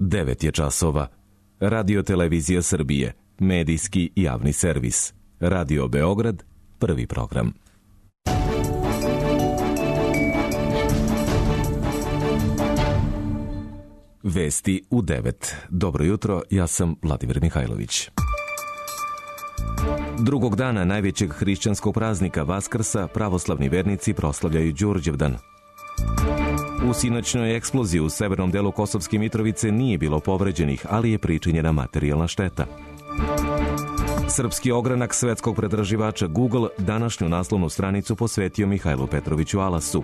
9 je časova. Radio Televizija Srbije, medijski javni servis. Radio Beograd, prvi program. Vesti u 9. Dobro jutro, ja sam Vladimir Mihajlović. Drugog dana najvećeg hrišćanskog praznika Vaskrsa pravoslavni vernici proslavljaju Đurđevdan. U sinoćnoj eksploziji u severnom delu Kosovske Mitrovice nije bilo povređenih, ali je pričinjena materijalna šteta. Srpski ogranak svetskog pretraživača Google današnju naslovnu stranicu posvetio Mihajlu Petroviću Alasu.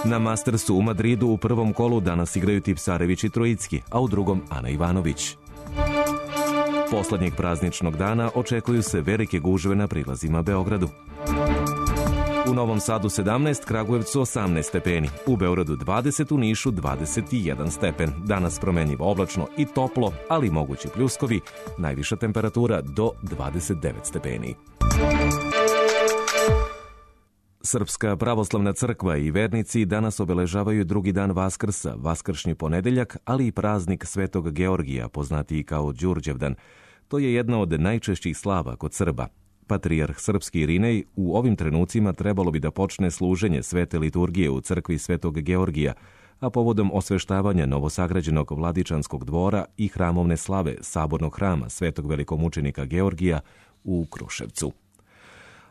Na Mastersu u Madridu u prvom kolu danas igraju Tipsarević i Trojicki, a u drugom Ana Ivanović. Poslednjeg prazničnog dana očekuju se velike gužve na prilazima Beogradu. U Novom Sadu 17, Kragujevcu 18 stepeni, u Beogradu 20, u Nišu 21 stepen. Danas promenljivo oblačno i toplo, ali mogući pljuskovi, najviša temperatura do 29 stepeni. Srpska pravoslavna crkva i vernici danas obeležavaju drugi dan Vaskrsa, vaskršnji ponedeljak, ali i praznik Svetog Georgija, poznatiji kao Đurđevdan. To je jedna od najčešćih slava kod Srba. Patrijarh srpski Irinej u ovim trenucima trebalo bi da počne služenje svete liturgije u crkvi Svetog Georgija, a povodom osveštavanja novosagrađenog Vladičanskog dvora i hramovne slave sabornog hrama Svetog velikomučenika Georgija u Kruševcu.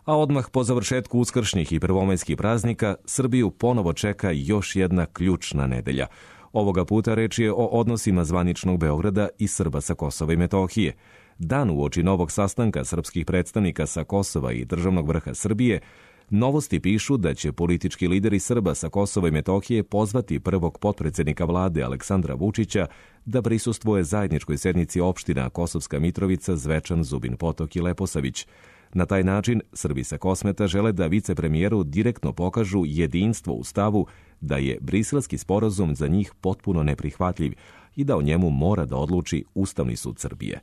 A odmah po završetku uskršnjih i prvomajskih praznika Srbiju ponovo čeka još jedna ključna nedelja. Ovoga puta reč je o odnosima zvaničnog Beograda i Srba sa Kosova i Metohije. Dan uoči novog sastanka srpskih predstavnika sa Kosova i državnog vrha Srbije, novosti pišu da će politički lideri Srba sa Kosova i Metohije pozvati prvog potpredsednika vlade Aleksandra Vučića da prisustvuje zajedničkoj sednici opština Kosovska Mitrovica, Zvečan, Zubin Potok i Leposavić. Na taj način Srbi sa Kosmeta žele da vicepremijeru direktno pokažu jedinstvo u stavu da je Briselski sporazum za njih potpuno neprihvatljiv i da o njemu mora da odluči Ustavni sud Srbije.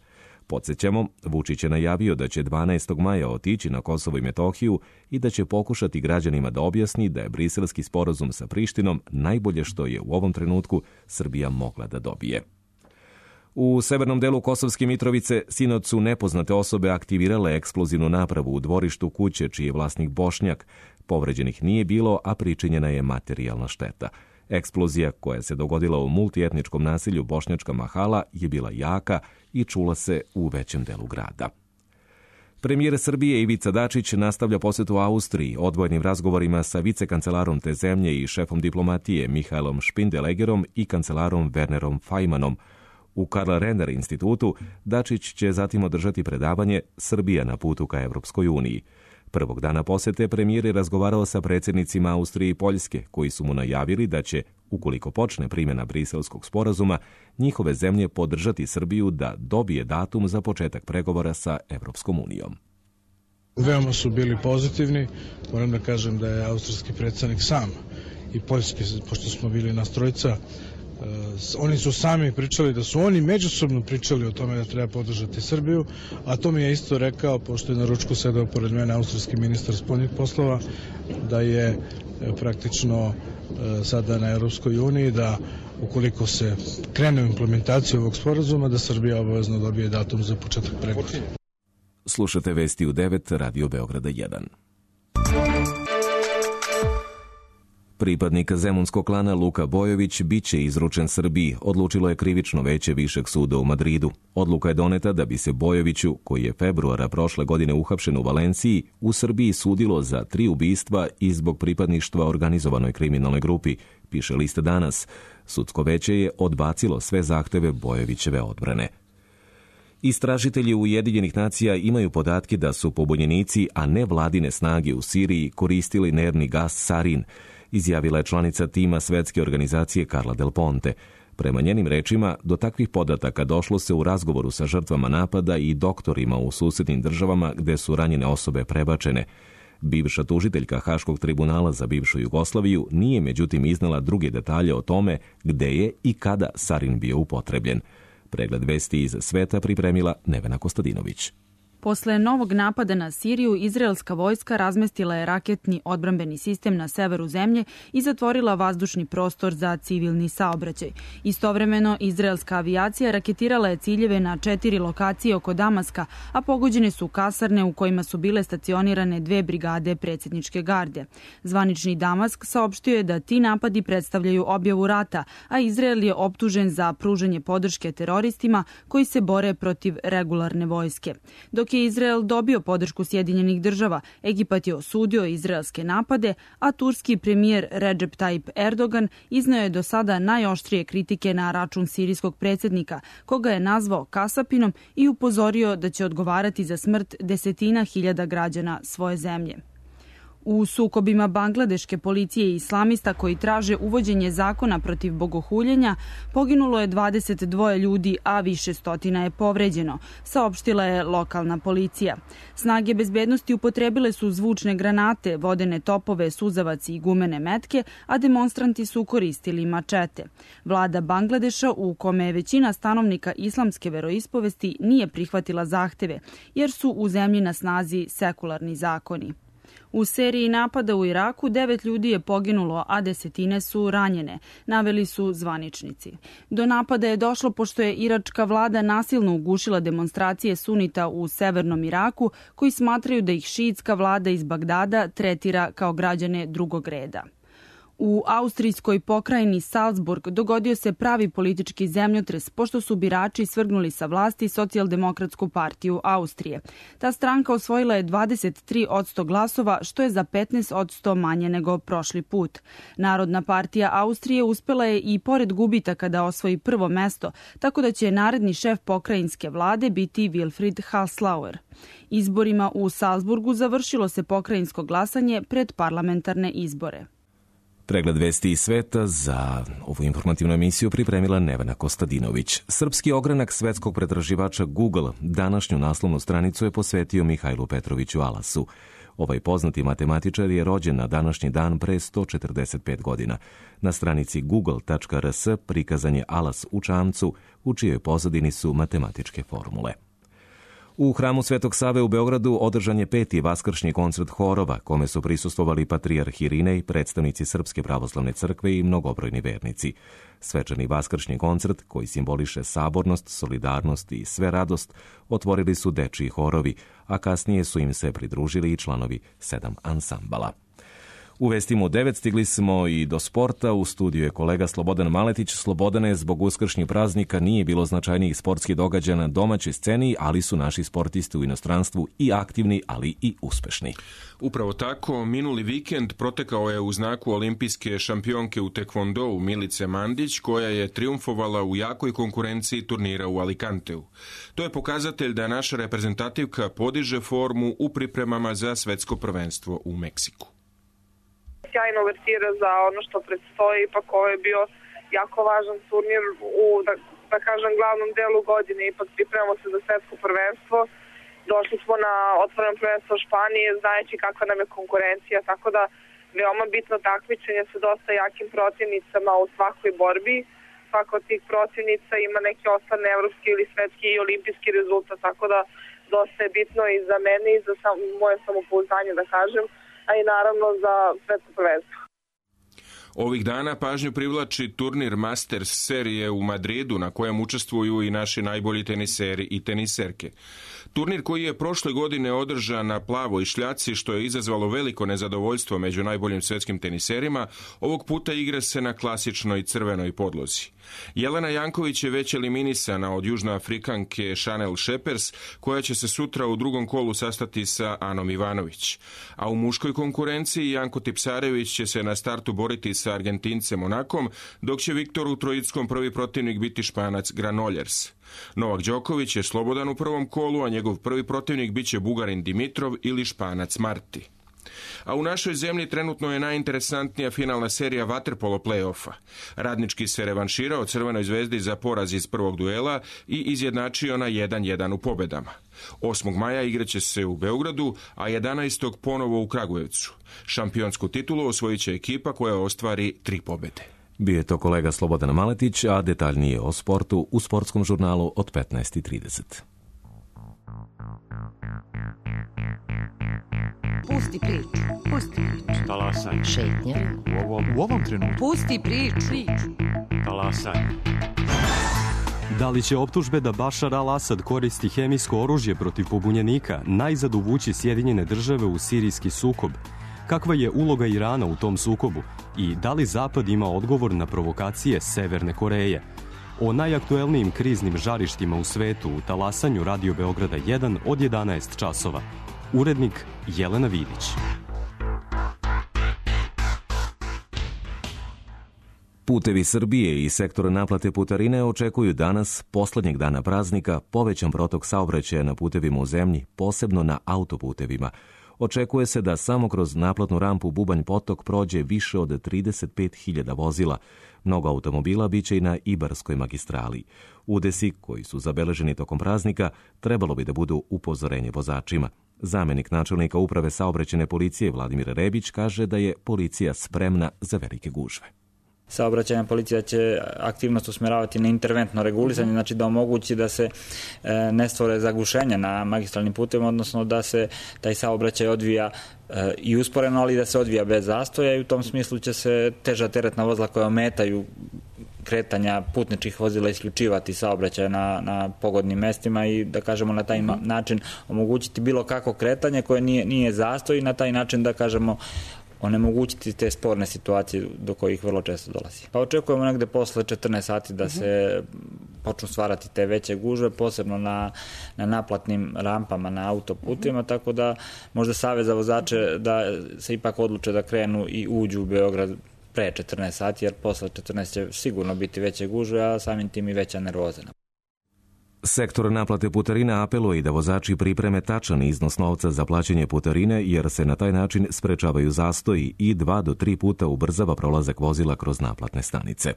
Podsjećamo, Vučić je najavio da će 12. maja otići na Kosovo i Metohiju i da će pokušati građanima da objasni da je Briselski sporazum sa Prištinom najbolje što je u ovom trenutku Srbija mogla da dobije. U severnom delu Kosovske Mitrovice sinoć su nepoznate osobe aktivirale eksplozivnu napravu u dvorištu kuće čiji je vlasnik Bošnjak. Povređenih nije bilo, a pričinjena je materijalna šteta. Eksplozija koja se dogodila u multietničkom naselju Bošnjačka Mahala je bila jaka i čula se u većem delu grada. Premijer Srbije Ivica Dačić nastavlja posetu Austriji odvojenim razgovorima sa vicekancelarom te zemlje i šefom diplomatije Mihaelom Špindelegerom i kancelarom Wernerom Fajmanom. U Karl Renner institutu Dačić će zatim održati predavanje Srbija na putu ka Evropskoj uniji. Prvog dana posete premijer je razgovarao sa predsjednicima Austrije i Poljske, koji su mu najavili da će, ukoliko počne primjena Briselskog sporazuma, njihove zemlje podržati Srbiju da dobije datum za početak pregovora sa Evropskom unijom. Veoma su bili pozitivni. Moram da kažem da je austrijski predsjednik sam i poljski, pošto smo bili nas trojica, oni su sami pričali da su oni međusobno pričali o tome da treba podržati Srbiju, a to mi je isto rekao, pošto je na ručku sedao pored mene austrijski ministar spoljnih poslova, da je praktično sada na Europskoj uniji da ukoliko se krene u implementaciju ovog sporazuma, da Srbija obavezno dobije datum za početak pregovora. Slušate vesti u 9, Radio Beograda 1. Pripadnik zemunskog klana Luka Bojović biće izručen Srbiji, odlučilo je krivično veće Višeg suda u Madridu. Odluka je doneta da bi se Bojoviću, koji je februara prošle godine uhapšen u Valenciji, u Srbiji sudilo za 3 ubistva i zbog pripadništva organizovanoj kriminalnoj grupi, piše list Danas. Sudsko veće je odbacilo sve zahteve Bojovićeve odbrane. Istražitelji Ujedinjenih nacija imaju podatke da su pobunjenici, a ne vladine snage u Siriji koristili nervni gas sarin, izjavila je članica tima svetske organizacije Carla Del Ponte. Prema njenim rečima, do takvih podataka došlo se u razgovoru sa žrtvama napada i doktorima u susednim državama gde su ranjene osobe prebačene. Bivša tužiteljka Haškog tribunala za bivšu Jugoslaviju nije međutim iznala druge detalje o tome gde je i kada sarin bio upotrebljen. Pregled vesti iz sveta pripremila Nevena Kostadinović. Posle novog napada na Siriju, izraelska vojska razmestila je raketni odbrambeni sistem na severu zemlje i zatvorila vazdušni prostor za civilni saobraćaj. Istovremeno, izraelska avijacija raketirala je ciljeve na 4 lokacije oko Damaska, a pogođene su kasarne u kojima su bile stacionirane 2 brigade predsjedničke garde. Zvanični Damask saopštio je da ti napadi predstavljaju objavu rata, a Izrael je optužen za pružanje podrške teroristima koji se bore protiv regularne vojske. Dok je Izrael dobio podršku Sjedinjenih država, Egipat je osudio izraelske napade, a turski premijer Recep Tayyip Erdogan izneo je do sada najoštrije kritike na račun sirijskog predsjednika, koga je nazvao kasapinom i upozorio da će odgovarati za smrt desetina hiljada građana svoje zemlje. U sukobima bangladeške policije i islamista koji traže uvođenje zakona protiv bogohuljenja poginulo je 22 ljudi, a više stotina je povređeno, saopštila je lokalna policija. Snage bezbednosti upotrebile su zvučne granate, vodene topove, suzavac i gumene metke, a demonstranti su koristili mačete. Vlada Bangladeša, u kome je većina stanovnika islamske veroispovesti, nije prihvatila zahteve, jer su u zemlji na snazi sekularni zakoni. U seriji napada u Iraku 9 ljudi je poginulo, a desetine su ranjene, naveli su zvaničnici. Do napada je došlo pošto je iračka vlada nasilno ugušila demonstracije sunita u severnom Iraku, koji smatraju da ih šiitska vlada iz Bagdada tretira kao građane drugog reda. U austrijskoj pokrajini Salzburg dogodio se pravi politički zemljotres pošto su birači svrgnuli sa vlasti Socijaldemokratsku partiju Austrije. Ta stranka osvojila je 23% glasova, što je za 15% manje nego prošli put. Narodna partija Austrije uspela je i pored gubitaka da osvoji prvo mesto, tako da će naredni šef pokrajinske vlade biti Wilfried Haslauer. Izborima u Salzburgu završilo se pokrajinsko glasanje pred parlamentarne izbore. Pregled vesti iz sveta za ovu informativnu emisiju pripremila Nevena Kostadinović. Srpski ogranak svetskog pretraživača Google današnju naslovnu stranicu je posvetio Mihajlu Petroviću Alasu. Ovaj poznati matematičar je rođen na današnji dan pre 145 godina. Na stranici google.rs prikazan je Alas u čamcu, u čijoj pozadini su matematičke formule. U hramu Svetog Save u Beogradu održan je 5. vaskršnji koncert horova, kome su prisustvovali patrijarh Irinej, predstavnici Srpske pravoslavne crkve i mnogobrojni vernici. Svečani vaskršnji koncert, koji simboliše sabornost, solidarnost i sve radost, otvorili su dečiji horovi, a kasnije su im se pridružili i članovi 7 ansambala. U vestima u 9 stigli smo i do sporta. U studiju je kolega Slobodan Maletić. Slobodane, zbog uskršnjih praznika nije bilo značajnijih sportskih događaja na domaćoj sceni, ali su naši sportisti u inostranstvu i aktivni, ali i uspešni. Upravo tako, minuli vikend protekao je u znaku olimpijske šampionke u tekvondou Milice Mandić, koja je triumfovala u jakoj konkurenciji turnira u Alicanteu. To je pokazatelj da naša reprezentativka podiže formu u pripremama za svetsko prvenstvo u Meksiku. Sjajna uvertira za ono što predstoji, ipak ovo je bio jako važan turnir u, da kažem, glavnom delu godine, ipak pripremamo se za svetsko prvenstvo. Došli smo na otvoreno prvenstvo Španije, znajući kakva nam je konkurencija, tako da veoma bitno takmičenje sa dosta jakim protivnicama u svakoj borbi. Svaka od tih protivnica ima neki osnovni evropski ili svetski i olimpijski rezultat, tako da dosta je bitno i za mene i za moje samopouzdanje, da kažem, a i naravno za svetsko prvenstvo. Ovih dana pažnju privlači turnir Masters serije u Madridu, na kojem učestvuju i naši najbolji teniseri i teniserke. Turnir koji je prošle godine održan na plavoj šljaci, što je izazvalo veliko nezadovoljstvo među najboljim svetskim teniserima, ovog puta igra se na klasičnoj crvenoj podlozi. Jelena Janković je već eliminisana od južnoafrikanke Chanel Shepers, koja će se sutra u drugom kolu sastati sa Anom Ivanović. A u muškoj konkurenciji Janko Tipsarević će se na startu boriti sa Argentincem Monakom, dok će Viktoru Trojickom prvi protivnik biti Španac Granollers. Novak Đoković je slobodan u prvom kolu, a njegov prvi protivnik biće Bugarin Dimitrov ili Španac Marti. A u našoj zemlji trenutno je najinteresantnija finalna serija vaterpolo play-offa. Radnički se revanširao Crvenoj zvezdi za poraz iz prvog duela i izjednačio na 1-1 u pobedama. 8. maja igraće se u Beogradu, a 11. ponovo u Kragujevcu. Šampionsku titulu osvojit će ekipa koja ostvari 3 pobede. Bio je to kolega Slobodan Maletić, a detaljnije o sportu u sportskom žurnalu od 15:30. Pusti priču. Pusti priču. Talasaj. Šetnja. U ovom trenutku. Pusti priču. Talasaj. Da li će optužbe da Bašar al-Asad koristi hemijsko oružje protiv pobunjenika najzad uvući Sjedinjene države u sirijski sukob? Kakva je uloga Irana u tom sukobu? I da li Zapad ima odgovor na provokacije Severne Koreje? O najaktuelnijim kriznim žarištima u svetu u talasanju Radio Beograda 1 od 11 časova. Urednik Jelena Vidić. Putevi Srbije i sektor naplate putarine očekuju danas, poslednjeg dana praznika, povećan protok saobraćaja na putevima u zemlji, posebno na autoputevima. Očekuje se da samo kroz naplatnu rampu Bubanj Potok prođe više od 35.000 vozila. Mnogo automobila biće i na Ibarskoj magistrali. Udesi, koji su zabeleženi tokom praznika, trebalo bi da budu upozorenje vozačima. Zamenik načelnika uprave saobraćajne policije Vladimir Rebić kaže da je policija spremna za velike gužve. Saobraćajna policija će aktivnost usmjeravati na interventno regulisanje, znači da omogući da se ne stvore zagušenja na magistralnim putevima, odnosno da se taj saobraćaj odvija i usporeno, ali da se odvija bez zastoja, i u tom smislu će se teža teretna vozila koja ometaju kretanja putničkih vozila isključivati saobraćaj na pogodnim mestima i, da kažemo, na taj način omogućiti bilo kako kretanje koje nije zastoj i na taj način, da kažemo, onemogućiti te sporne situacije do kojih vrlo često dolazi. Pa očekujemo negde posle 14 sati da se počnu stvarati te veće gužve, posebno na naplatnim rampama na autoputima, tako da možda savez za vozače da se ipak odluče da krenu i uđu u Beograd pre 14 sati, jer posle 14 će sigurno biti veće gužve, a samim tim i veća nervoza. Sektor naplate putarina apeluje i da vozači pripreme tačan iznos novca za plaćanje putarine, jer se na taj način sprečavaju zastoji i 2 do 3 puta ubrzava prolazak vozila kroz naplatne stanice.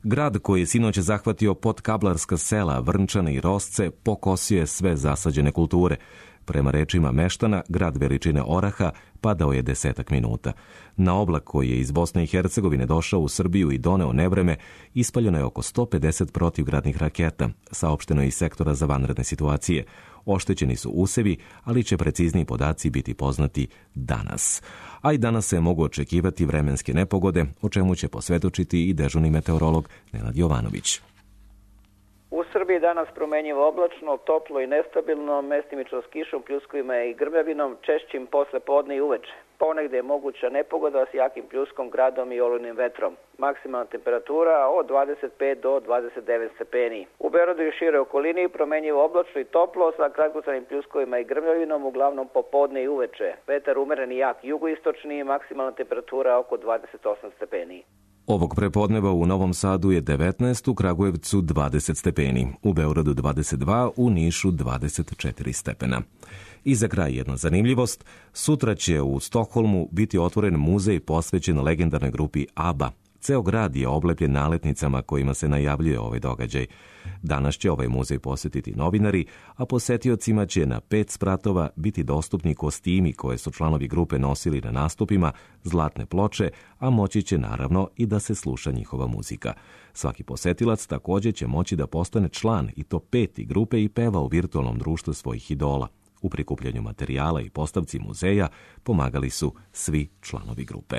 Grad koji je sinoć zahvatio potkablarska sela, Vrnčane i Rosce pokosio je sve zasađene kulture. Prema rečima meštana, grad veličine oraha padao je 10 minuta. Na oblak koji je iz Bosne i Hercegovine došao u Srbiju i doneo nevreme, ispaljeno je oko 150 protivgradnih raketa, saopšteno je iz sektora za vanredne situacije. Oštećeni su usevi, ali će precizniji podaci biti poznati danas. A i danas se mogu očekivati vremenske nepogode, o čemu će posvjedočiti i dežurni meteorolog Nenad Jovanović. U Srbiji danas promenjivo oblačno, toplo i nestabilno, mestimično s kišom, pljuskovima i grmljavinom, češćim posle podne i uveče. Ponegde je moguća nepogoda s jakim pljuskom, gradom i olujnim vetrom. Maksimalna temperatura od 25 do 29 stepeni. U Beogradu i šire okolini promenjivo oblačno i toplo sa kratkotrajnim pljuskovima i grmljavinom, uglavnom popodne i uveče. Vetar umeren i jak jugoistočni, maksimalna temperatura oko 28 stepeni. Ovog prepodneva u Novom Sadu je 19, u Kragujevcu 20 stepeni, u Beogradu 22, u Nišu 24 stepena. I za kraj jedna zanimljivost, sutra će u Stokholmu biti otvoren muzej posvećen legendarnoj grupi ABBA. Ceo grad je oblepljen naletnicama kojima se najavljuje ovaj događaj. Danas će ovaj muzej posjetiti novinari, a posetiocima će na 5 spratova biti dostupni kostimi koje su članovi grupe nosili na nastupima, zlatne ploče, a moći će naravno i da se sluša njihova muzika. Svaki posetilac također će moći da postane član i to 5. grupe i peva u virtualnom društvu svojih idola. U prikupljanju materijala i postavci muzeja pomagali su svi članovi grupe.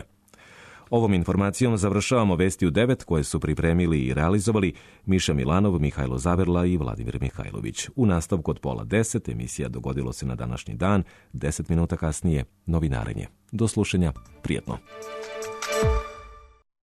Ovom informacijom završavamo Vesti u 9 koje su pripremili i realizovali Miša Milanov, Mihajlo Zaverla i Vladimir Mihajlović. U nastavku od 9:30 emisija Dogodilo se na današnji dan, 10 minuta kasnije novinarenje. Do slušanja, prijetno.